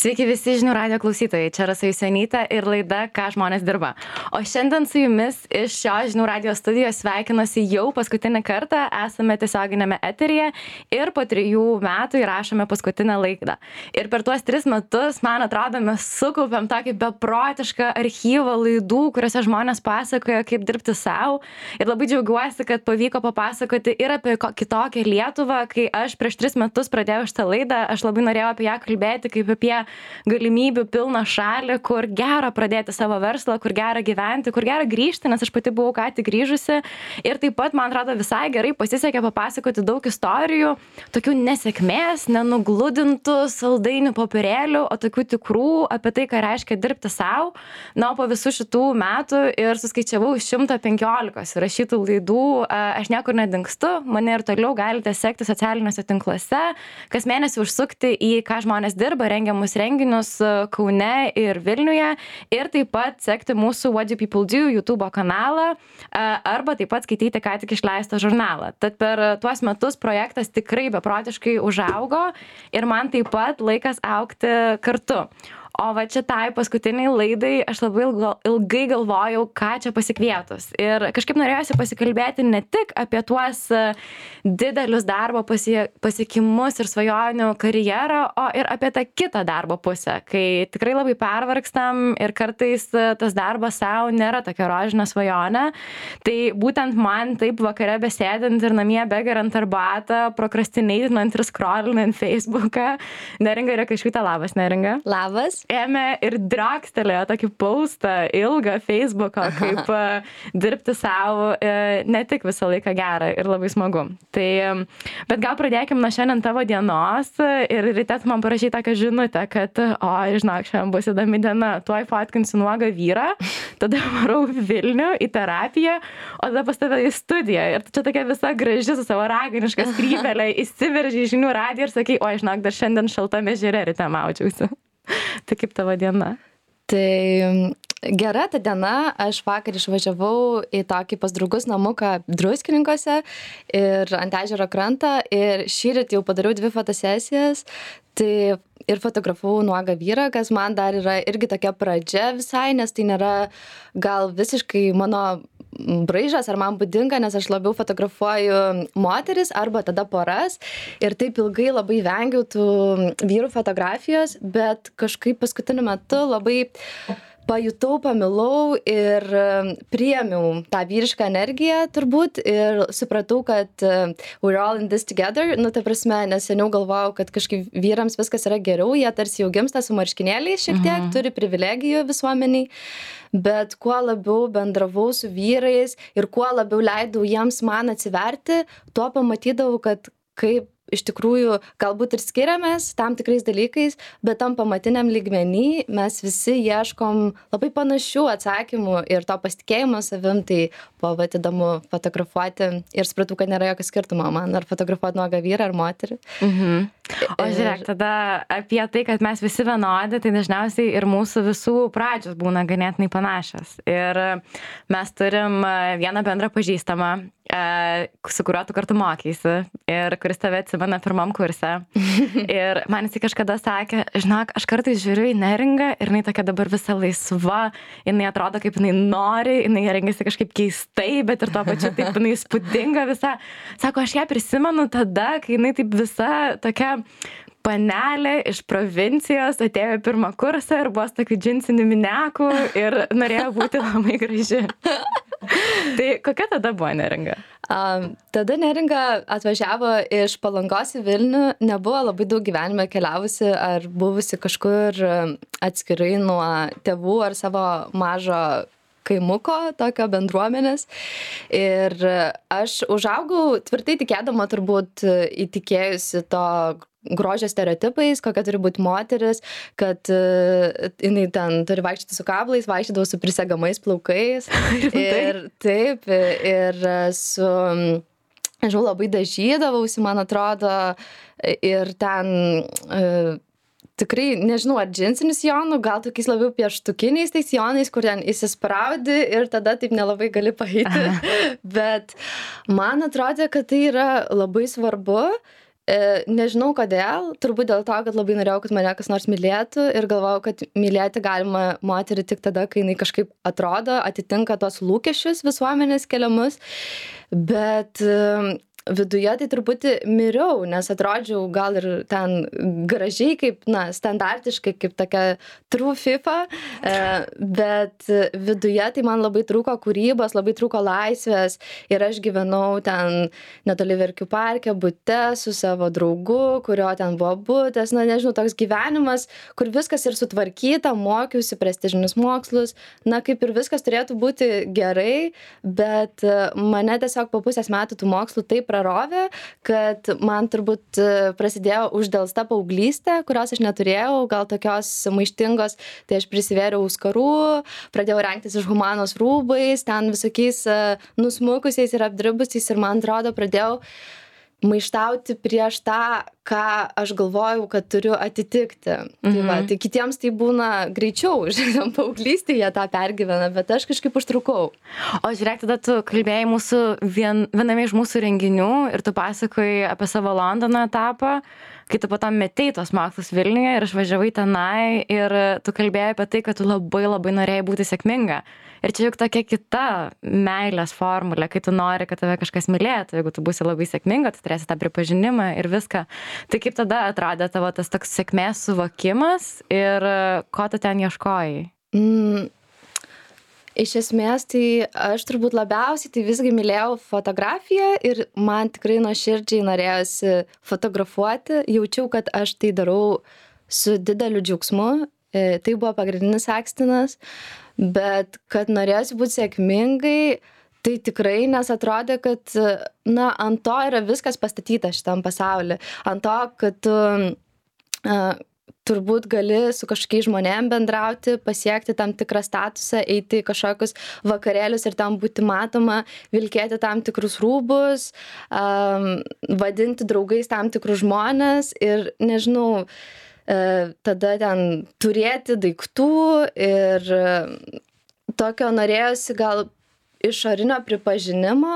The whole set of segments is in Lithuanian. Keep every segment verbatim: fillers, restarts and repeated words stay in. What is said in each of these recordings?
Sveiki visi žinių radijo klausytojai, čia Rasa Jusionytė ir laida Ką žmonės dirba. O šiandien su jumis iš šio žinių radijo studijos sveikinasi jau paskutinį kartą, esame tiesioginėme eteryje ir po trijų metų įrašome paskutinę laidą. Ir per tuos tris metus, man atrodo, mes sukaupėm tokį beprotišką archyvą laidų, kuriuose žmonės pasakoja, kaip dirbti savo. Ir labai džiaugiuosi, kad pavyko papasakoti ir apie kitokią Lietuvą. Kai aš prieš tris metus pradėjau šitą laidą, aš labai norėjau apie ją kalbėti kaip apie galimybių pilną šalį, kur gera pradėti savo verslą, kur gera gyventi, kur gera grįžti, nes aš pati buvau ką tik grįžusi. Ir taip pat, man atrodo, visai gerai pasisekė papasakoti daug istorijų, tokių nesėkmės, nenugludintų saldainių popierėlių, o tokių tikrų apie tai, ką reiškia dirbti savo. Na, o po visų šitų metų ir suskaičiavau šimtą penkiolika rašytų laidų, aš niekur nedingstu, mane ir toliau galite sekti socialiniuose tinkluose, kas mėnesį užsukti į Ką žmonės dirba, rengiamus renginius Kaune ir Vilniuje ir taip pat sekti mūsų What Do People Do YouTube kanalą arba taip pat skaityti ką tik išleistą žurnalą. Tad per tuos metus projektas tikrai beprotiškai užaugo ir man taip pat laikas augti kartu. O va šitai paskutiniai laidai aš labai ilgai galvojau, ką čia pasikvietus. Ir kažkaip norėjusi pasikalbėti ne tik apie tuos didelius darbo pasiekimus ir svajonių karjerą, o ir apie tą kitą darbo pusę, kai tikrai labai pervargstam ir kartais tas darbas savo nėra tokia rožinė svajonė. Tai būtent man taip vakare besėdint ir namie begeriant arbatą, prokrastinėtinant ir scrollinant Facebooką. Neringa Rekašiūtė, labas Neringa. Labas. Ėmė ir drakstelėjo tokį postą ilgą Facebooko, kaip uh, dirbti savo, uh, ne tik visą laiką gerą ir labai smagu. Tai, um, bet gal pradėkim nuo šiandien tavo dienos ir ryte tu man parašai tokią žinutę, kad, o, žinok, šiandien bus įdomi diena, tuoj fotkinsiu nuogą vyrą, tada varau Vilnių į terapiją, o tada pas tave į studiją. Ir tu čia tokia visa graži su savo raganiška skrybelė įsiverži į žinių radiją ir sakai, o, žinok, dar šiandien šaltame ežere ryte maudžiausi. Tai kaip tavo diena? Tai gera ta diena, aš vakar išvažiavau į tokį pas draugus namuką Druskininkuose ir ant ežero krantą ir šįryt jau padariau dvi fotosesijas. Tai ir fotografavau nuogą vyrą, kas man dar yra irgi tokia pradžia visai, nes tai nėra gal visiškai mano braižas ar man būdinga, nes aš labiau fotografuoju moteris arba tada poras ir taip ilgai labai vengiau tų vyrų fotografijos, bet kažkaip paskutiniu metu labai pajutau, pamilau ir priėmiau tą vyrišką energiją turbūt ir supratau, kad we're all in this together, nu ta prasme, nes seniau galvojau, kad kažkaip vyrams viskas yra geriau, jie tarsi jau gimsta su marškinėliais šiek tiek, mhm. turi privilegijų visuomeniai, bet kuo labiau bendravau su vyrais ir kuo labiau leidau jiems man atsiverti, tuo pamatydavau, kad kaip iš tikrųjų galbūt ir skiriamės tam tikrais dalykais, bet tam pamatiniam lygmenį mes visi ieškom labai panašių atsakymų ir to pasitikėjimo savim, tai buvo vat įdomu fotografuoti ir supratau, kad nėra jokio skirtumo man ar fotografuoti nuogą vyrą ar moterį. Mhm. O žiūrėk, tada apie tai, kad mes visi vienodi, tai dažniausiai ir mūsų visų pradžios būna ganėtinai panašios. Ir mes turim vieną bendrą pažįstamą, su kuriuo tu kartu mokeisi ir kuris tave atsimena pirmam kurse. Ir man jisai kažkada sakė, žinok, aš kartais žiūriu į Neringą ir jinai tokia dabar visa laisva, jinai atrodo kaip jinai nori, jinai rengiasi kažkaip keistai, bet ir tuo pačiu taip jinai įspūdinga visa. Sako, aš ją prisimenu tada, kai jinai taip visa tokia panelė iš provincijos atėjo į pirmą kursą ir buvo tokių džinsinių minekų ir norėjo būti labai graži. Tai kokia tada buvo Neringa? Um, tada Neringa atvažiavo iš Palangos į Vilnių, nebuvo labai daug gyvenime keliavusi ar buvusi kažkur atskirai nuo tėvų ar savo mažo kaimuko, tokio bendruomenės. Ir aš užaugau tvirtai tikėdama turbūt įtikėjusi to grožio stereotipais, kokia turi būti moteris, kad uh, jinai ten turi vaikščioti su kablais, vaikščiodavau su prisegamais plaukais. Ir taip, ir su, nežinau, labai dažydavausi, man atrodo, ir ten uh, tikrai, nežinau, ar džinsinių sijonų, gal tokiais labiau pieštukiniais tais sijonais, kur ten įsispraudi ir tada taip nelabai gali paeiti. Bet man atrodė, kad tai yra labai svarbu E, nežinau kodėl, turbūt dėl to, kad labai norėjau, kad mane kas nors mylėtų ir galvojau, kad mylėti galima moterį tik tada, kai jinai kažkaip atrodo, atitinka tos lūkesčius visuomenės keliamus, bet e, viduje tai truputį miriau, nes atrodžiau gal ir ten gražiai, kaip, na, standartiškai, kaip tokia true FIFA, e, bet viduje tai man labai trūko kūrybos, labai trūko laisvės ir aš gyvenau ten netoli Verkių parke, bute su savo draugu, kurio ten buvo butas, na, nežinau, toks gyvenimas, kur viskas ir sutvarkyta, mokiausi prestižinius mokslus, na, kaip ir viskas turėtų būti gerai, bet mane tiesiog po pusės metų tų mokslų taip prarovė, kad man turbūt prasidėjo uždelsta paauglystė, kurios aš neturėjau, gal tokios maištingos, tai aš prisivėriau auskarų, pradėjau rengtis iš humanos rūbais, ten visokiais nusmukusiais ir apdribusiais ir man atrodo pradėjau maištauti prieš tą, ką aš galvojau, kad turiu atitikti. Mhm. Tai, va, tai kitiems tai būna greičiau, žinoma, paauglystėje tą pergyvena, bet aš kažkaip užtrukau. O žiūrėk, tada tu kalbėjai mūsų vien, viename iš mūsų renginių ir tu pasakojai apie savo Londono etapą, kai tu po to metei tos mokslus Vilniuje ir išvažiavai tenai ir tu kalbėjai apie tai, kad tu labai labai norėjai būti sėkminga. Ir čia juk tokia kita meilės formulė, kai tu nori, kad tave kažkas mylėtų. Jeigu tu būsi labai sėkminga, tu turėsi tą pripažinimą ir viską. Tai kaip tada atrodė tavo tas toks sėkmės suvokimas ir ko tu ten ieškojai? Mm. Iš esmės, tai aš turbūt labiausiai tai visgi mylėjau fotografiją ir man tikrai nuoširdžiai norėjosi fotografuoti. Jaučiau, kad aš tai darau su dideliu džiaugsmu. Tai buvo pagrindinis akstinas, bet kad norėjosi būti sėkmingai, tai tikrai, nes atrodė, kad, na, ant to yra viskas pastatyta šitam pasauly. Ant to, kad tu uh, turbūt gali su kažkokiais žmonėm bendrauti, pasiekti tam tikrą statusą, eiti į kažkokius vakarėlius ir tam būti matoma, vilkėti tam tikrus rūbus, um, vadinti draugais tam tikrus žmonės ir, nežinau, tada ten turėti daiktų ir tokio norėjosi gal išorinio pripažinimo,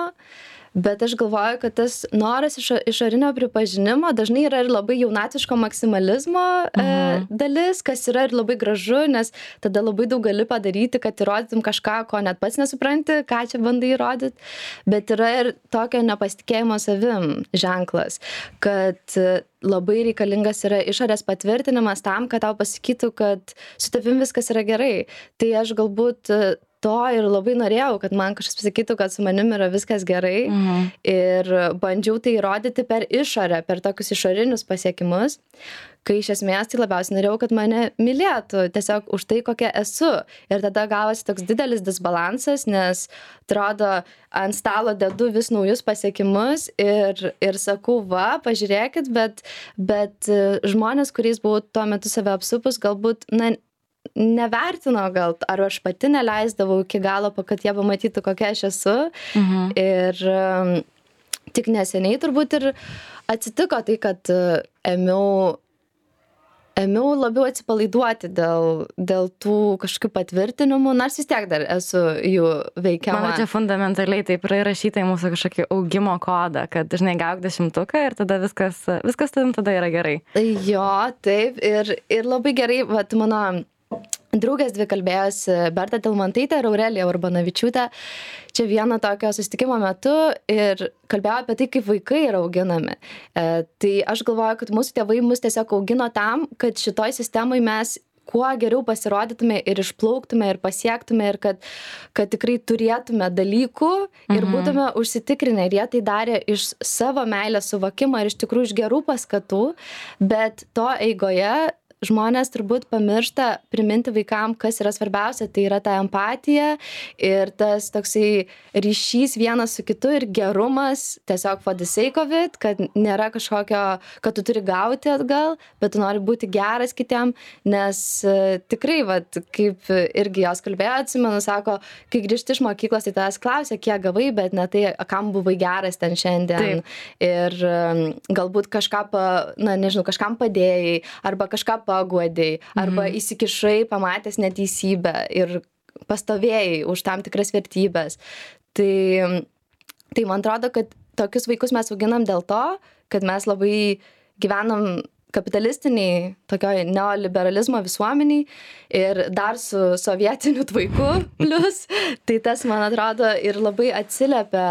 bet aš galvoju, kad tas noras iš, išorinio pripažinimo dažnai yra ir labai jaunatviško maksimalizmo mhm. e, dalis, kas yra ir labai gražu, nes tada labai daug gali padaryti, kad įrodytum kažką, ko net pats nesupranti, ką čia bandai įrodyti, bet yra ir tokio nepasitikėjimo savim ženklas, kad labai reikalingas yra išorės patvirtinimas tam, kad tau pasakytų, kad su tavim viskas yra gerai. Tai aš galbūt to ir labai norėjau, kad man kažkas pasakytų, kad su manim yra viskas gerai. Mhm. Ir bandžiau tai įrodyti per išorę, per tokius išorinius pasiekimus, kai iš esmės tai labiausiai norėjau, kad mane mylėtų tiesiog už tai, kokia esu. Ir tada gavosi toks didelis disbalansas, nes atrodo, ant stalo dedu vis naujus pasiekimus ir, ir sakau, va, pažiūrėkit, bet, bet žmonės, kuriais buvau tuo metu save apsupus, galbūt, na, nevertino gal, ar aš pati neleisdavau iki galo, kad jie pamatytų, kokia aš esu. Mhm. Ir um, tik neseniai turbūt ir atsitiko tai, kad uh, ėmiau, ėmiau labiau atsipalaiduoti dėl, dėl tų kažkokių patvirtinimų, nors vis tiek dar esu jų veikiama. Manau, čia fundamentaliai taip yra įrašyta į mūsų kažkokį augimo kodą, kad dažnai gauk dešimtuką ir tada viskas, viskas tavim tada yra gerai. Jo, taip, ir, ir labai gerai, vat mano draugės dvi kalbėjosi, Berta Tilmantaitė ir Aurelija Urbanavičiūtė, čia vieno tokio susitikimo metu ir kalbėjo apie tai, kaip vaikai yra auginami. E, tai aš galvoju, kad mūsų tėvai mus tiesiog augino tam, kad šitoj sistemai mes kuo geriau pasirodytume ir išplauktume ir pasiektume ir kad, kad tikrai turėtume dalykų ir mhm. būtume užsitikrinę. Ir jie tai darė iš savo meilės suvokimo ir iš tikrųjų iš gerų paskatų, bet to eigoje žmonės turbūt pamiršta priminti vaikam, kas yra svarbiausia, tai yra ta empatija ir tas toksai ryšys vienas su kitu ir gerumas, tiesiog for the sake of it, kad nėra kažkokio, kad tu turi gauti atgal, bet tu nori būti geras kitiem, nes uh, tikrai, vat, kaip irgi jos kalbėjo, atsimenu, sako, kai grįžti iš mokyklos, tai tavęs klausia, kiek gavai, bet ne tai, kam buvai geras ten šiandien. Taip. Ir um, galbūt kažką, pa, na, nežinau, kažkam padėjai, arba kažką paguodėjai, arba mhm. įsikišai, pamatęs neteisybę ir pastovėjai už tam tikras vertybės. Tai, tai man atrodo, kad tokius vaikus mes auginam dėl to, kad mes labai gyvenam kapitalistiniai, tokioj neoliberalizmo visuomeniai ir dar su sovietiniu tvaiku plus, tai tas, man atrodo, ir labai atsiliepia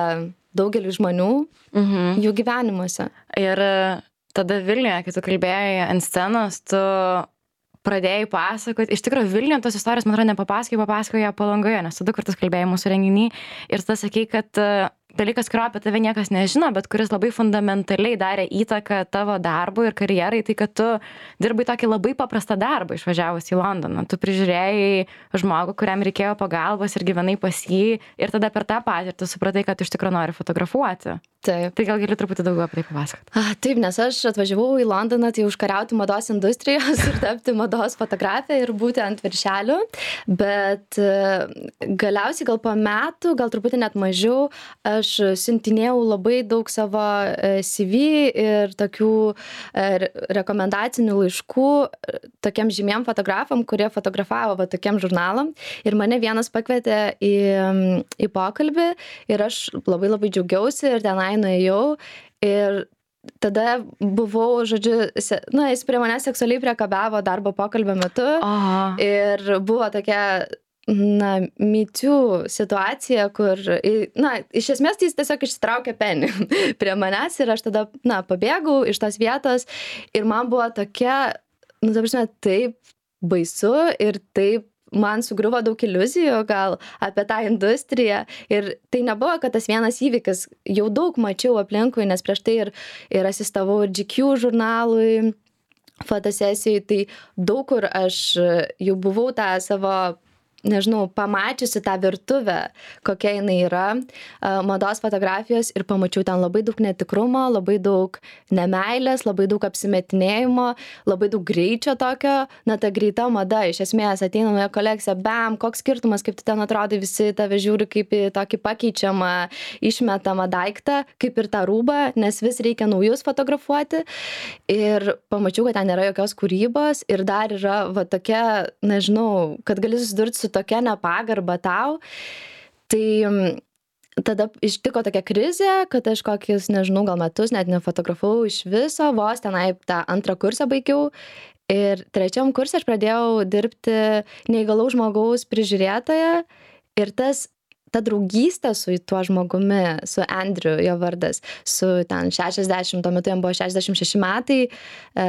daugeliu žmonių mhm. jų gyvenimuose. Ir tada Vilniuje, kai tu kalbėjai ant scenos, tu pradėjai pasakoti, iš tikrųjų Vilniuje tos istorijos, man atrodo, nepapasakoji, papasakoji Palangoje, nes tu du kartus kalbėjai mūsų renginį ir tada sakei, kad dalykas, kurio apie tave niekas nežino, bet kuris labai fundamentaliai darė įtaką tavo darbui ir karjerai, tai kad tu dirbai tokį labai paprastą darbą išvažiavus į Londoną. Tu prižiūrėjai žmogų, kuriam reikėjo pagalbos ir gyvenai pas jį ir tada per tą patirtį supratai, kad iš tikrųjų nori fotografuoti. Taip. Tai gal gali truputį daugiau apie tai papasakoti. Ah, taip, nes aš atvažiavau į Londoną tai užkariauti mados industrijos ir tapti mados fotografę ir būti ant viršelių, bet galiausiai gal po metų, gal truputį net mažiau, aš siuntinėjau labai daug savo C V ir tokių rekomendacinių laiškų tokiem žymiem fotografam, kurie fotografavo va, tokiem žurnalam ir mane vienas pakvietė į, į pokalbį ir aš labai labai džiaugiausi ir tenai nuėjau ir tada buvau, žodžiu, na, jis prie manęs seksualiai priekabiavo darbo pokalbio metu Aha. ir buvo tokia na, mytių situacija, kur, na, iš esmės tai jis tiesiog išsitraukė penį prie manęs ir aš tada, na, pabėgau iš tos vietos ir man buvo tokia, nu, ta prasme, taip baisu ir taip man sugriuvo daug iliuzijų gal apie tą industriją ir tai nebuvo, kad tas vienas įvykis, jau daug mačiau aplinkui, nes prieš tai ir, ir asistavau ir G Q žurnalui, fotosesijai, tai daug kur aš jau buvau tą savo nežinau, pamačiusi tą virtuvę, kokia jinai yra mados fotografijos ir pamačiau ten labai daug netikrumo, labai daug nemeilės, labai daug apsimetinėjimo, labai daug greičio tokio, na ta greita mada, iš esmės ateina nauja kolekcija, bam, koks skirtumas, kaip tu ten atrodai, visi tave žiūri kaip į tokį pakeičiamą, išmetamą daiktą, kaip ir tą rūbą, nes vis reikia naujus fotografuoti ir pamačiau, kad ten nėra jokios kūrybos ir dar yra va tokia, nežinau, kad gali susidurti su tokia nepagarba tau, tai tada ištiko tokia krizė, kad aš kokius, nežinau, gal metus net nefotografavau iš viso, vos tenai tą antrą kursą baigiau ir trečiam kursą aš pradėjau dirbti neįgalaus žmogaus prižiūrėtoja ir tas ta draugystė su tuo žmogumi, su Andrew, jo vardas, su ten šešiasdešimt, tuo metu jam buvo šešiasdešimt šeši metai, e,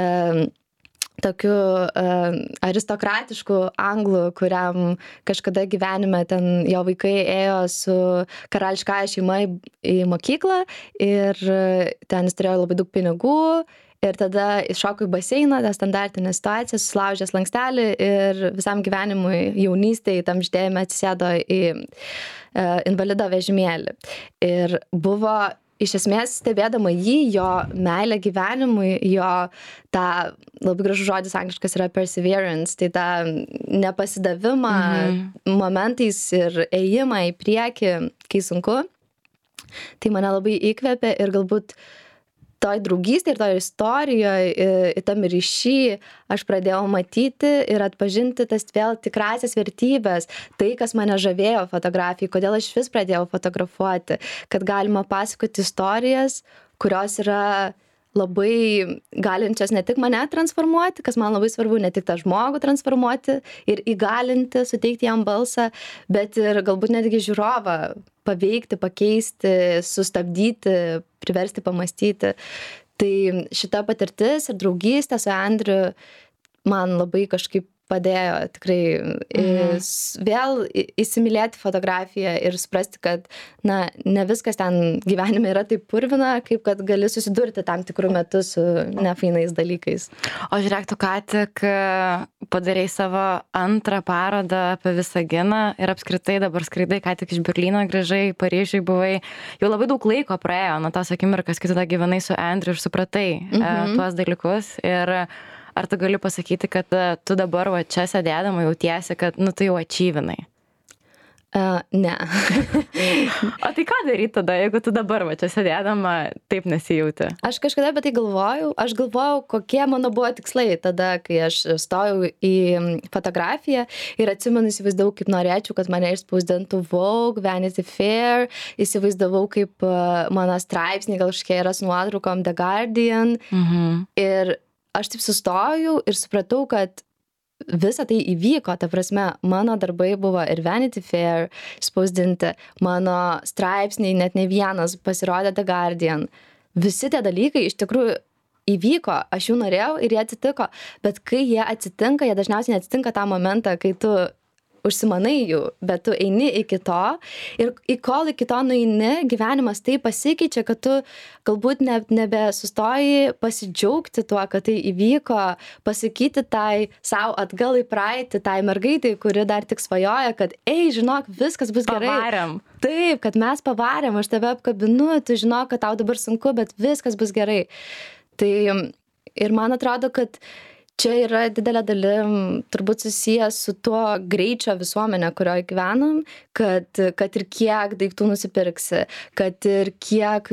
tokiu uh, aristokratišku anglu, kuriam kažkada gyvenime ten jo vaikai ėjo su karališkąja šeima į, į mokyklą ir ten jis turėjo labai daug pinigų ir tada iššoko į baseiną, tą standartinę situaciją, susilaužė slankstelį ir visam gyvenimui jaunystėje tam ždėjime atsisėdo į uh, invalido vežimėlį. Ir buvo iš esmės stebėdama jį, jo meilę gyvenimui, jo tą, labai gražus žodis angliškas yra perseverance, tai tą nepasidavimą mhm. momentais ir ėjimą į priekį, kai sunku, tai mane labai įkvėpė ir galbūt toj draugystėje ir toj istorijoje, tam ryšy aš pradėjau matyti ir atpažinti tas vėl tikrasias vertybės, tai, kas mane žavėjo fotografijai, kodėl aš vis pradėjau fotografuoti, kad galima pasakoti istorijas, kurios yra labai galinčios ne tik mane transformuoti, kas man labai svarbu, ne tik tą žmogų transformuoti ir įgalinti, suteikti jam balsą, bet ir galbūt netgi žiūrovą paveikti, pakeisti, sustabdyti, priversti pamastyti. Tai šita patirtis ir draugystė su Andrew man labai kažkaip padėjo tikrai mhm. vėl įsimylėti fotografiją ir suprasti, kad na, ne viskas ten gyvenime yra taip purvina, kaip kad gali susidurti tam tikrų metų su nefainais dalykais. O žiūrėk, tu ką tik padarei savo antrą parodą apie Visaginą ir apskritai dabar skraidai, ką tik iš Berlyno grįžai, Paryžiui buvai. Jau labai daug laiko praėjo nuo tos akimirkos, kai tu tada gyvenai su Andrew ir supratai mhm. tuos dalykus. Ir ar tu gali pasakyti, kad tu dabar va čia sėdėdama jautiesi, kad nu tu jau ačyvinai? Uh, ne. O tai ką daryti tada, jeigu tu dabar va čia sėdėdama taip nesijauti? Aš kažkada apie tai galvojau. Aš galvojau, kokie mano buvo tikslai tada, kai aš stojau į fotografiją ir atsimenu, įsivaizdavau, kaip norėčiau, kad mane išspausdintų Vogue, Vanity Fair, įsivaizdavau, kaip uh, mano straipsniai gal kažkiek yra su nuotraukom The Guardian. Mhm. Ir aš taip sustojau ir supratau, kad visa tai įvyko, ta prasme, mano darbai buvo ir Vanity Fair spausdinti, mano straipsniai, net ne vienas pasirodė The Guardian. Visi tie dalykai iš tikrųjų įvyko, aš jų norėjau ir jie atsitiko, bet kai jie atsitinka, jie dažniausiai neatsitinka tą momentą, kai tu užsimanai jų, bet tu eini iki to ir į kol iki to nueini, gyvenimas taip pasikeičia, kad tu galbūt ne, nebesustoji pasidžiaugti tuo, kad tai įvyko, pasakyti tai savo atgal į praeitį, tai mergaitai, kuri dar tik svajoja, kad ei, žinok, viskas bus gerai. Pavarėm. Taip, kad mes pavarėm, aš tave apkabinu, tu žinok, kad tau dabar sunku, bet viskas bus gerai. Tai ir man atrodo, kad čia yra didelė dalim turbūt susijęs su tuo greičio visuomenė, kurioje gyvenam, kad, kad ir kiek daiktų nusipirksi, kad ir kiek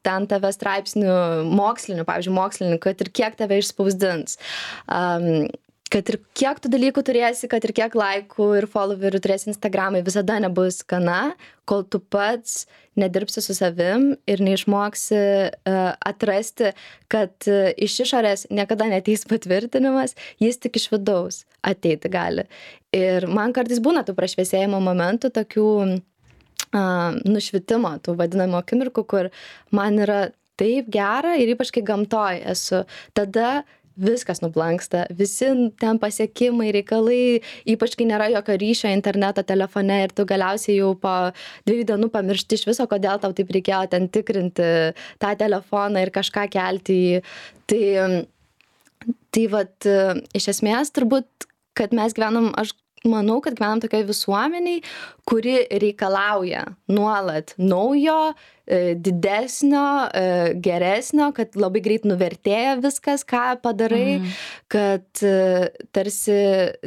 ten tave straipsnių mokslinių, pavyzdžiui, mokslinių, kad ir kiek tave išspausdins. Um, kad ir kiek tų dalykų turėsi, kad ir kiek laikų ir followerių turėsi Instagramai, visada nebus gana, kol tu pats nedirbsi su savim ir neišmoksi uh, atrasti, kad uh, iš išorės niekada neteis patvirtinimas, jis tik iš vidaus ateiti gali. Ir man kartais būna tų prašviesėjimo momentų, tokių uh, nušvitimo, tų vadinamų akimirkų, kur man yra taip gera ir ypač kai gamtoj esu. Tada viskas nublanksta, visi ten pasiekimai, reikalai, ypač kai nėra jokio ryšio interneto telefone ir tu galiausiai jau po dviejų dienų pamiršti iš viso, kodėl tau taip reikėjo ten tikrinti tą telefoną ir kažką kelti į. Tai, tai vat, iš esmės turbūt, kad mes gyvenam, aš manau, kad gyvenam tokioje visuomeniai, kuri reikalauja nuolat naujo, didesnio, geresnio, kad labai greit nuvertėja viskas, ką padarai, mm. kad tarsi,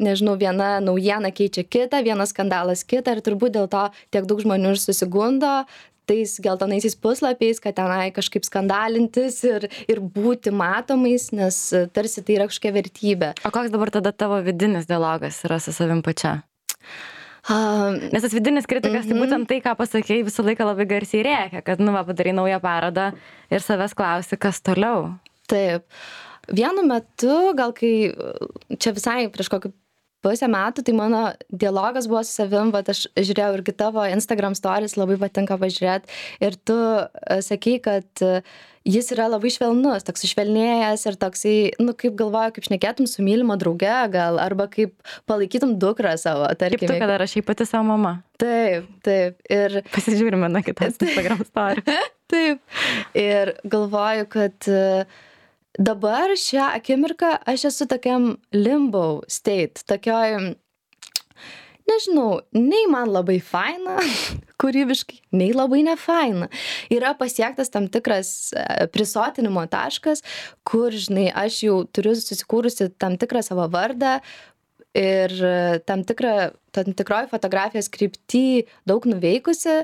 nežinau, viena naujiena keičia kitą, vienas skandalas kitą ir turbūt dėl to tiek daug žmonių ir susigundo tais geltonaisiais puslapiais, kad tenai kažkaip skandalintis ir, ir būti matomais, nes tarsi tai yra kažkokia vertybė. O koks dabar tada tavo vidinis dialogas yra su savim pačia? Um, Nes tas vidinis kritikas, mm-hmm. tai būtent tai, ką pasakėjai, visą laiką labai garsiai rėkia, kad, nu, va, padarai naują parodą ir savęs klausi, kas toliau. Taip. Vienu metu, gal kai čia visai prieš kokį pusę metų, tai mano dialogas buvo su savim, bet aš žiūrėjau irgi tavo Instagram stories, labai patinka pažiūrėti. Ir tu sakei, kad jis yra labai švelnus, toks išvelnėjęs ir toksai, nu, kaip galvoju, kaip šnekėtum su mylima drauge gal, arba kaip palaikytum dukrą savo, tarkim. Kaip tu, kada rašai pati savo mama. Taip, taip. Ir pasižiūrime na kitas Instagram story. Taip. Ir galvoju, kad dabar šią akimirką aš esu tokiam limbo state, tokioj, nežinau, nei man labai faina, kūrybiškai, nei labai nefaina. Yra pasiektas tam tikras prisotinimo taškas, kur, žinai, aš jau turiu susikūrusi tam tikrą savo vardą ir tam, tikrą, tam tikroj fotografijos krypty daug nuveikusi,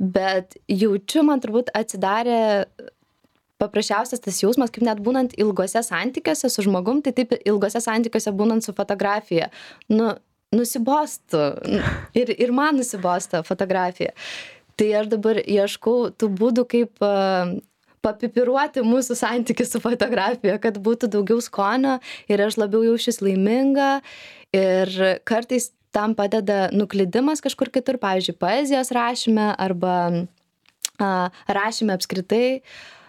bet jaučiu, man turbūt atsidarė paprasčiausias tas jausmas, kaip net būnant ilgose santykiuose su žmogum, tai taip ilgose santykiuose būnant su fotografija. Nu, nusibostų. Ir, ir man nusibostų fotografija. Tai aš dabar ieškau tų būdų, kaip uh, papipiruoti mūsų santykių su fotografija, kad būtų daugiau skonio ir aš labiau jaučiuosi laiminga. Ir kartais tam padeda nuklydimas kažkur kitur, pavyzdžiui, poezijos rašyme arba uh, rašyme apskritai.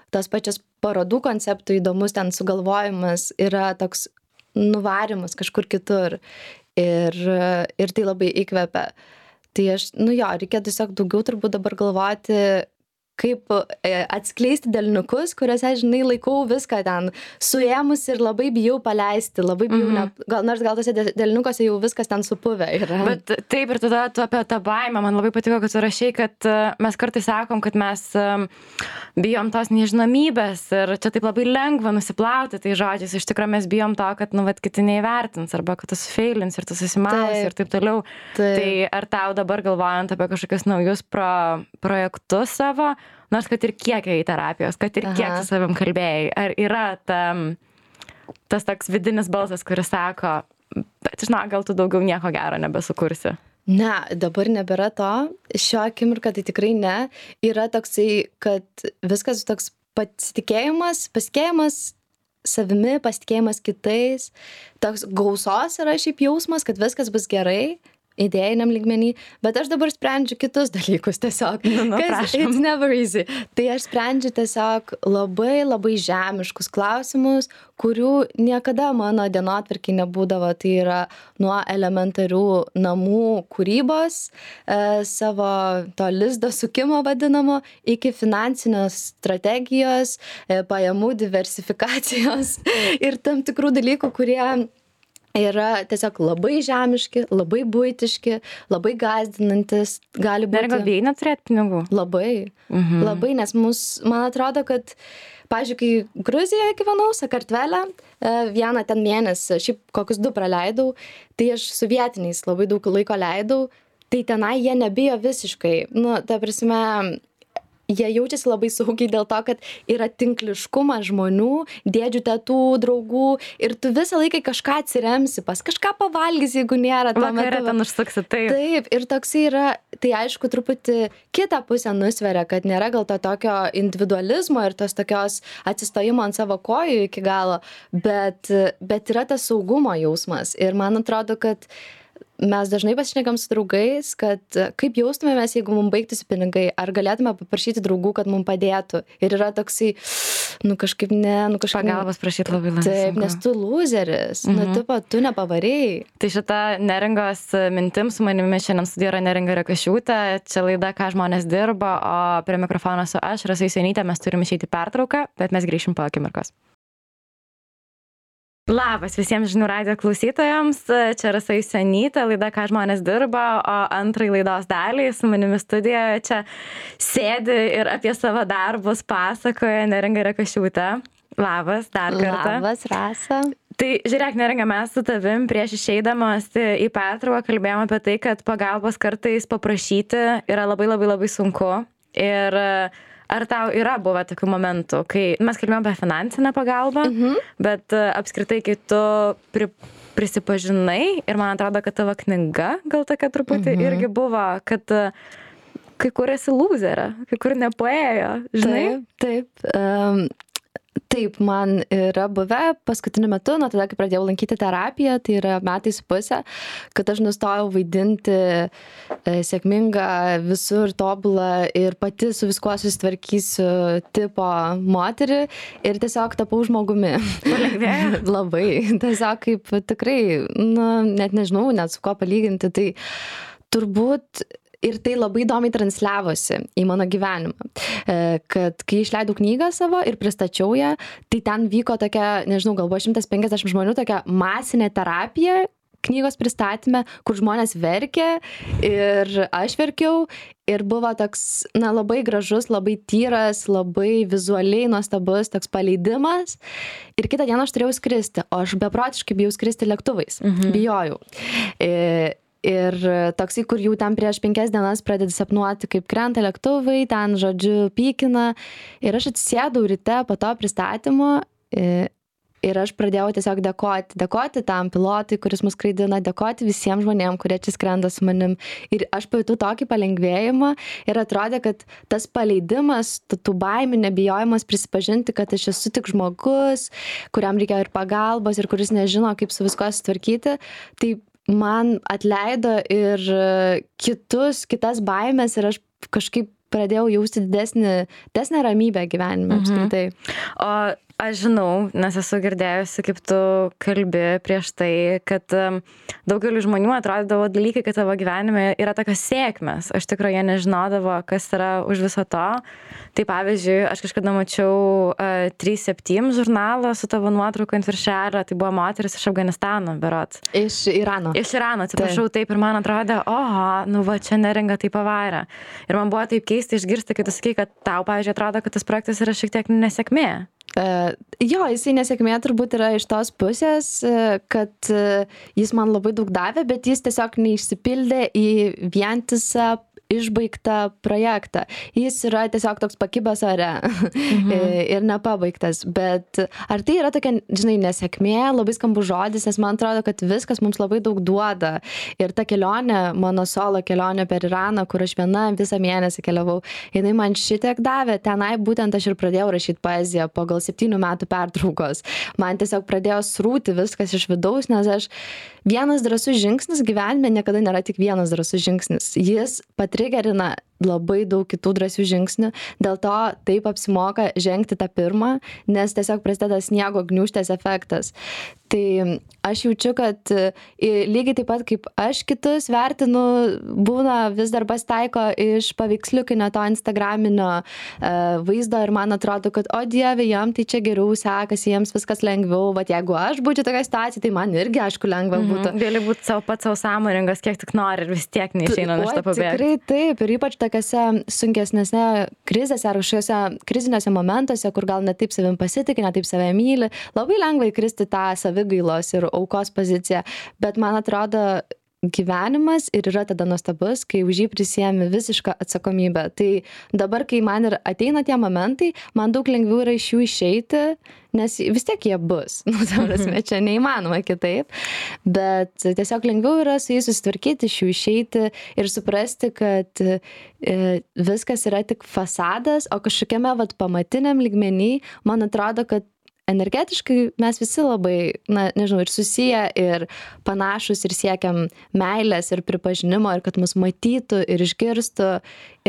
Tas pačias parodų konceptų įdomus ten sugalvojimas yra toks nuvarimas kažkur kitur ir, ir tai labai įkvepia. Tai aš, nu jo, reikia tiesiog daugiau turbūt dabar galvoti, kaip e, atskleisti delniukus, kuriuose, žinai, laikau viską ten suėmus ir labai bijau paleisti, labai bijau, Mhm. ne, gal, nors gal tose de- delniukuose jau viskas ten supuvę yra. Bet taip, ir tada tu apie tą baimę, man labai patiko, kad tu rašai, kad e, mes kartais sakom, kad mes e, bijom tos nežinomybės ir čia taip labai lengva nusiplauti tai žodžiais, iš tikrųjų mes bijom to, kad, nu, vat, kiti neįvertins arba kad tu sufailins ir tu susimausi ir taip toliau. Taip. Tai ar tau dabar galvojant apie kažkokius naujus pro, projektus savo, nors kad ir kiek į terapijos, kad ir Aha. kiek su savim kalbėjai, ar yra ta, tas toks vidinis balsas, kuris sako, bet žinok, gal tu daugiau nieko gero nebesukursi? Ne, dabar nebėra to. Šio akimirką tai tikrai ne. Yra toksai, kad viskas toks pasitikėjimas, pasitikėjimas savimi, pasitikėjimas kitais. Toks gausos yra šiaip jausmas, kad viskas bus gerai, idėjiniam lygmenį, bet aš dabar sprendžiu kitus dalykus tiesiog. Nu, nu, Kas- prašom. it's never easy. Tai aš sprendžiu tiesiog labai labai žemiškus klausimus, kurių niekada mano dienotvarkėj nebūdavo. Tai yra nuo elementarių namų kūrybos, e, savo to lizdo sukimo vadinamo, iki finansinės strategijos, e, pajamų diversifikacijos ir tam tikrų dalykų, kurie yra tiesiog labai žemiški, labai buitiški, labai gąsdinantis, gali Neringa, būti bijai neturėti pinigų? labai, Mhm. labai, nes mus, man atrodo, kad, pavyzdžiui, kai Gruzijoje gyvenau, Sakartvele, e, vieną ten mėnesį, šiaip kokius du praleidau, tai aš su vietiniais labai daug laiko leidau, tai tenai jie nebijo visiškai. Nu, ta prasme, jie jaučiasi labai saugiai dėl to, kad yra tinkliškumas žmonių, dėdžių, tetų, draugų ir tu visą laiką į kažką atsiremsi, pas kažką pavalgysi, jeigu nėra tuo Vakarė metu. ten užsuksi, taip. Taip, ir toksai yra, tai aišku, truputį kitą pusę nusveria, kad nėra gal to tokio individualizmo ir tos tokios atsistojimo ant savo kojų iki galo, bet, bet yra tas saugumo jausmas. Ir man atrodo, kad mes dažnai pasišnekam su draugais, kad kaip jaustumėmės, jeigu mums baigtųsi pinigai, ar galėtume paprašyti draugų, kad mums padėtų. Ir yra toksai, nu kažkaip ne, nu kažkaip... Pagalbos prašyti labai lengva. Taip, nes tu loseris, mhm. nu tipo, tu nepavarėjai. Tai šita Neringos mintim su manimi šiandien studijoje yra Neringa Rekašiūtė, čia laida, ką žmonės dirba, o prie mikrofono su aš, Rasa Jusionytė, mes turime išeiti pertrauką, bet mes grįšim po akimirkos. Labas visiems žinių radijo klausytojams, čia Rasa Jusionytė, laida, ką žmonės dirba, o antrai laidos daliai su manimi studijoje čia sėdi ir apie savo darbus pasakoja Neringa Rekašiūtė. Labas, dar kartą. Labas, Rasa. Tai žiūrėk, Neringa, mes su tavim prieš išeidamas į pertrauką kalbėjome apie tai, kad pagalbos kartais paprašyti yra labai labai labai sunku. Ir ar tau yra buvę tokių momentų, kai mes kalbėjome apie finansinę pagalbą, mhm. bet uh, apskritai, kai tu pri, prisipažinai ir man atrodo, kad tavo knyga gal tokia truputį mhm. irgi buvo, kad uh, kai kur esi loserė, kai kur nepaėjo, žinai? Taip, taip. Um, taip, man yra buvę paskutiniu metu, nuo tada, kai pradėjau lankyti terapiją, tai yra metai su pusė, kad aš nustojau vaidinti e, sėkmingą, visur tobulą ir pati su viskuo susitvarkysiu tipo moterį ir tiesiog tapau žmogumi. Palengvėjo? Labai. Tiesiog kaip tikrai, nu, net nežinau, net su kuo palyginti, tai turbūt ir tai labai įdomiai transliavosi į mano gyvenimą, kad kai išleidau knygą savo ir pristačiau ją, tai ten vyko tokia, nežinau, gal buvo šimtas penkiasdešimt žmonių, tokia masinė terapija knygos pristatyme, kur žmonės verkė ir aš verkiau ir buvo toks, na, labai gražus, labai tyras, labai vizualiai nuostabus toks paleidimas ir kitą dieną aš turėjau skristi, o aš beprotiškai bijau skristi lėktuvais, mhm. bijojau. Ir Ir toksai, kur jau ten prieš penkias dienas pradedi sapnuoti, kaip krenta lėktuvai, ten, žodžiu, pykina. Ir aš atsisėdau ryte po to pristatymo ir aš pradėjau tiesiog dėkoti. Dėkoti tam pilotui, kuris mus skraidina, dėkoti visiems žmonėms, kurie čia skrenda su manim. Ir aš pajutau tokį palengvėjimą ir atrodė, kad tas paleidimas, tų baimių, nebijojimas prisipažinti, kad aš esu tik žmogus, kuriam reikia ir pagalbos ir kuris nežino, kaip su viskuo sutvarkyti, tai man atleido ir kitus, kitas baimės ir aš kažkaip pradėjau jausti didesnį, didesnę ramybę gyvenime apskritai. Mhm. O aš žinau, nes esu girdėjusi, kaip tu kalbi prieš tai, kad um, daugeliu žmonių atrodydavo dalykai, kad tavo gyvenime yra tokios sėkmės. Aš tikrai jie nežinodavo, kas yra už viso to. Tai pavyzdžiui, aš kažkada mačiau uh, trys septyni žurnalą su tavo nuotrauka ant viršelio, tai buvo moteris iš Afganistano, berods. Iš Irano. Iš Irano, atsiprašau, taip, ir man atrodė, oho, nu va, čia neringa tai pavarė. Ir man buvo taip keista išgirsti, kai tu sakai, kad tau, pavyzdžiui, atrodo, kad tas projektas yra šiek tiek nesėkmė. Uh, jo, jisai nesėkmė turbūt yra iš tos pusės, uh, kad uh, jis man labai daug davė, bet jis tiesiog neišsipildė į vientisą išbaigtą projektą. Jis yra tiesiog toks pakibęs ore mhm. ir nepabaigtas. Bet ar tai yra tokia, žinai, nesėkmė, labai skambus žodis, nes man atrodo, kad viskas mums labai daug duoda. Ir ta kelionė, mano solo kelionė per Iraną, kur aš viena visą mėnesį keliavau, jinai man šitiek davė. Tenai būtent aš ir pradėjau rašyti poeziją po gal septynių metų pertraukos. Man tiesiog pradėjo srūti viskas iš vidaus, nes aš vienas drąsus žingsnis gyvenime niekada nėra tik vienas drąsus žingsnis. Jis patrigerina labai daug kitų drąsių žingsnių, dėl to taip apsimoka žengti tą pirmą, nes tiesiog prasideda sniego gniūžtės efektas. Tai aš jaučiu, kad lygiai taip pat kaip aš kitus vertinu, būna vis dar pasitaiko iš paveiksliukinio to instagraminio uh, vaizdo ir man atrodo, kad o dieve, jam tai čia geriau sekasi, jiems viskas lengviau, bet jeigu aš būčiau tokia situacija, tai man irgi aišku lengva būtų. Mhm. Gali būti savo pats savo sąmoningas, kiek tik nori ir vis tiek neišeina iš to pabėgti. Tikrai taip, ir ypač tokiose sunkesnėse krizėse ar kažkokiuose kriziniuose momentuose, kur gal ne taip savim pasitikė, ne taip save myli, labai lengva įkristi tą savigailos ir aukos poziciją, bet man atrodo, gyvenimas ir yra tada nuostabus, kai už jį prisiemi visišką atsakomybę. Tai dabar, kai man ir ateina tie momentai, man daug lengviau yra iš jų išeiti, nes vis tiek jie bus. Nu, ta prasme, čia neįmanoma kitaip. Bet tiesiog lengviau yra su jais susitvarkyti, iš jų išeiti ir suprasti, kad e, viskas yra tik fasadas, o kažkokiame vat, pamatiniam lygmenį, man atrodo, kad energetiškai mes visi labai, na, nežinau, ir susiję, ir panašus, ir siekiam meilės, ir pripažinimo, ir kad mus matytų, ir išgirstų,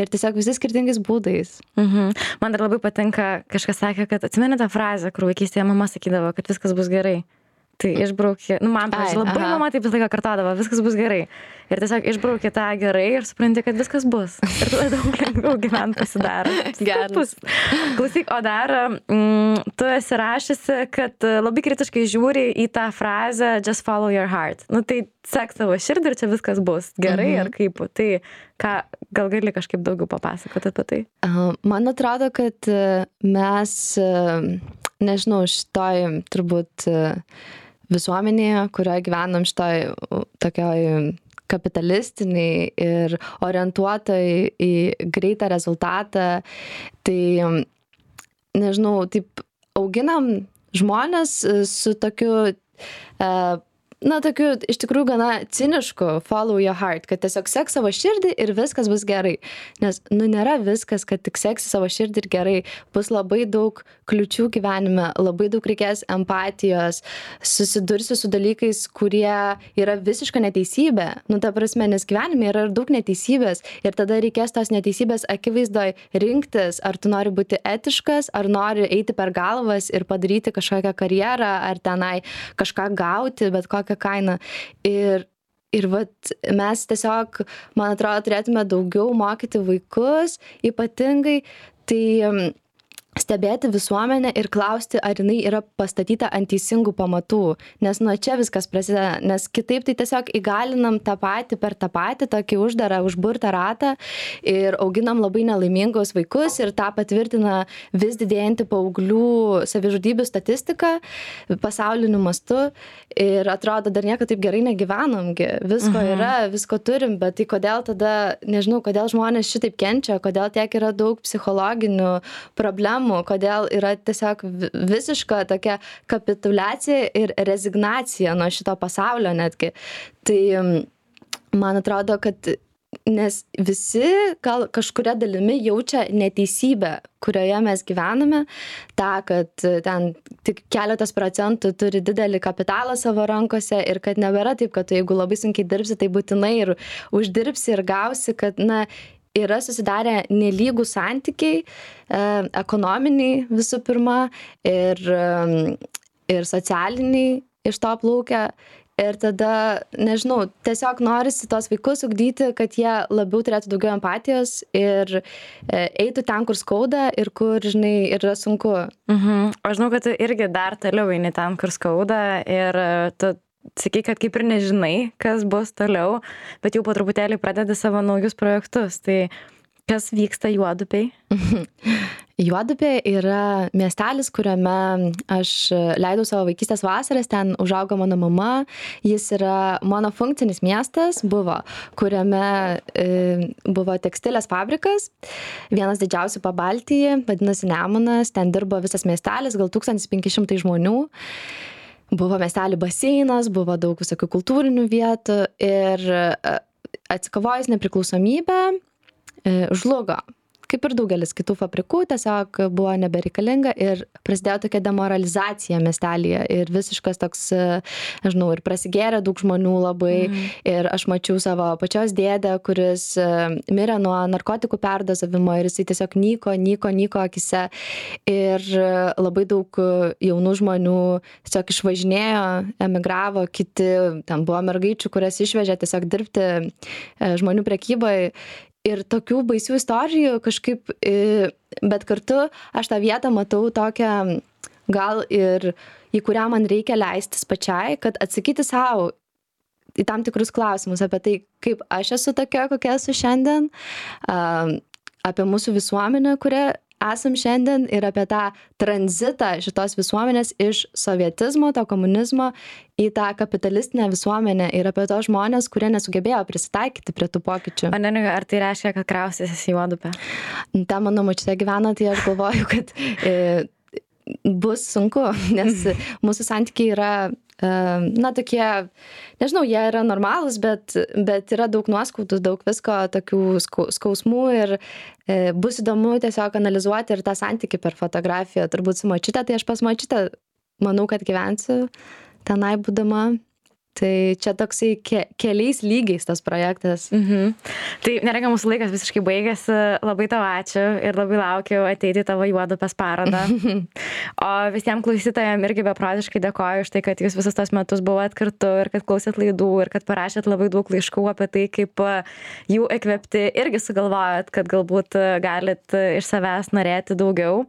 ir tiesiog visi skirtingais būdais. Mhm. Man dar labai patinka, kažkas sakė, kad atsimeni tą frazę, kur vaikystėje mama sakydavo, kad viskas bus gerai. Tai išbraukė, nu man, pavyzdžiui, labai aha. mama taip visą laiką kartodavo, viskas bus gerai. Ir tiesiog išbraukė tą gerai ir supranti, kad viskas bus. Ir tada daug lengviau gyventi pasidaro. Geras. Klausyk, o dar mm, tu esi rašysi, kad labai kritiškai žiūri į tą frazę just follow your heart. Nu tai sek savo širdį ir čia viskas bus gerai mhm. ar kaip. Tai ką, gal gali kažkaip daugiau papasakoti apie tai? Man atrodo, kad mes, nežinau, šitoj turbūt visuomenėje, kurioje gyvenam šitoj tokioj kapitalistiniai ir orientuotai į greitą rezultatą, tai, nežinau, taip auginam žmonės su tokiu, na, tokiu iš tikrųjų gana cinišku follow your heart, kad tiesiog sek savo širdį ir viskas bus gerai. Nes, nu, nėra viskas, kad tik seksi savo širdį ir gerai. Bus labai daug kliučių gyvenime, labai daug reikės empatijos, susidursi su dalykais, kurie yra visiška neteisybė. Nu, ta prasme, nes gyvenime yra ir daug neteisybės ir tada reikės tos neteisybės akivaizdoj rinktis, ar tu nori būti etiškas, ar nori eiti per galvas ir padaryti kažkokią karjerą, ar tenai kažką gauti, bet kokią kainą. Ir, ir vat, mes tiesiog, man atrodo, turėtume daugiau mokyti vaikus, ypatingai, tai stebėti visuomenę ir klausti, ar jinai yra pastatyta ant teisingų pamatų. Nes nuo čia viskas prasideda, nes kitaip tai tiesiog įgalinam tą patį per tą patį, tokį uždarą, užburtą ratą ir auginam labai nelaimingus vaikus ir tą patvirtina vis didėjanti paauglių savižudybių statistika pasauliniu mastu ir atrodo, dar nieko taip gerai negyvenamgi. Visko mhm. yra, visko turim, bet tai kodėl tada, nežinau, kodėl žmonės šitaip kenčia, kodėl tiek yra daug psichologinių problemų, kodėl yra tiesiog visiška tokia kapituliacija ir rezignacija nuo šito pasaulio netgi. Tai man atrodo, kad nes visi gal kažkuria dalimi jaučia neteisybę, kurioje mes gyvename, tą, kad ten tik keletas procentų turi didelį kapitalą savo rankose ir kad nebėra taip, kad tu, jeigu labai sunkiai dirbsi, tai būtinai ir uždirbsi ir gausi, kad, na, yra susidarę nelygų santykiai, e, ekonominiai visų pirma ir, e, ir socialiniai iš to plaukia. Ir tada, nežinau, tiesiog norisi tos vaikus ugdyti, kad jie labiau turėtų daugiau empatijos ir e, eitų ten, kur skauda ir kur, žinai, yra sunku. Mhm. Aš žinau, kad tu irgi dar toliau eini ten, kur skauda ir tu sakai, kad kaip ir nežinai, kas bus toliau, bet jau po truputėlį pradedi savo naujus projektus. Tai kas vyksta Juodupėj? Juodupė yra miestelis, kuriame aš leidau savo vaikystės vasaras, ten užaugo mano mama, jis yra monofunkcinis miestas, buvo, kuriame e, buvo tekstilės fabrikas, vienas didžiausių Pabaltyje, vadinasi Nemunas, ten dirbo visas miestelis, gal tūkstantis penki šimtai žmonių. Buvo miestelį baseinas, buvo daug visokių kultūrinių vietų ir atsikovojus nepriklausomybę e, žlugo. Kaip ir daugelis kitų fabrikų, tiesiog buvo nebereikalinga ir prasidėjo tokia demoralizacija miestelyje ir visiškas toks, nežinau, ir prasigėrė daug žmonių labai mm. ir aš mačiau savo pačios dėdę, kuris mirė nuo narkotikų perdozavimo ir jisai tiesiog nyko, nyko, nyko akise ir labai daug jaunų žmonių tiesiog išvažinėjo, emigravo, kiti, ten buvo mergaičių, kurias išvežė tiesiog dirbti žmonių prekyboje. Ir tokių baisių istorijų kažkaip, bet kartu aš tą vietą matau tokią, gal ir į kurią man reikia leistis pačiai, kad atsakyti savo į tam tikrus klausimus apie tai, kaip aš esu tokia, kokia esu šiandien, apie mūsų visuomenę, kurią esam šiandien ir apie tą tranzitą šitos visuomenės iš sovietizmo, to komunizmo į tą kapitalistinę visuomenę ir apie tos žmonės, kurie nesugebėjo prisitaikyti prie tų pokyčių. O neringa, ar tai reiškia, kad kraustysis į Juodupę? Ta mano močiutė gyvena, tai aš galvoju, kad e, bus sunku, nes mūsų santykiai yra na, tokie, nežinau, jie yra normalūs, bet, bet yra daug nuoskaudų, daug visko, tokių skausmų ir e, bus įdomu tiesiog analizuoti ir tą santykį per fotografiją. Turbūt su močiute, tai aš pas močiutę manau, kad gyvensiu tenai būdama. Tai čia toksai ke, keliais lygiais tas projektas. Mhm. Tai neringa, mūsų laikas visiškai baigėsi. Labai tau ačiū ir labai laukiu ateiti į tavo Juodupės parodą. O visiems klausytojams irgi beprotiškai dėkoju už tai, kad jūs visus tos metus buvot kartu ir kad klausėt laidų ir kad parašėt labai daug laiškų apie tai, kaip jų įkvėpti irgi sugalvojot, kad galbūt galit iš savęs norėti daugiau.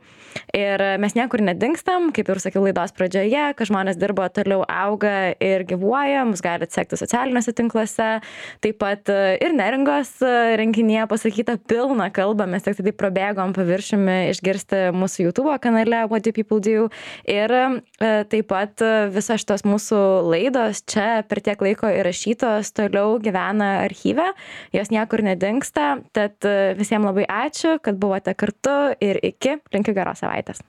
Ir mes niekur nedingstam, kaip ir sakiau laidos pradžioje, kad žmonės dirba, toliau auga ir gyvuoja, mus galite sekti socialiniuose tinkluose, taip pat ir neringos renginyje pasakyta pilna kalba, mes tik taip prabėgom paviršiumi išgirsti mūsų YouTube kanale What Do People Do ir taip pat visos šitos mūsų laidos čia per tiek laiko įrašytos toliau gyvena archyve, jos niekur nedingsta, tad visiems labai ačiū, kad buvote kartu ir iki, linkiu geros savaitės.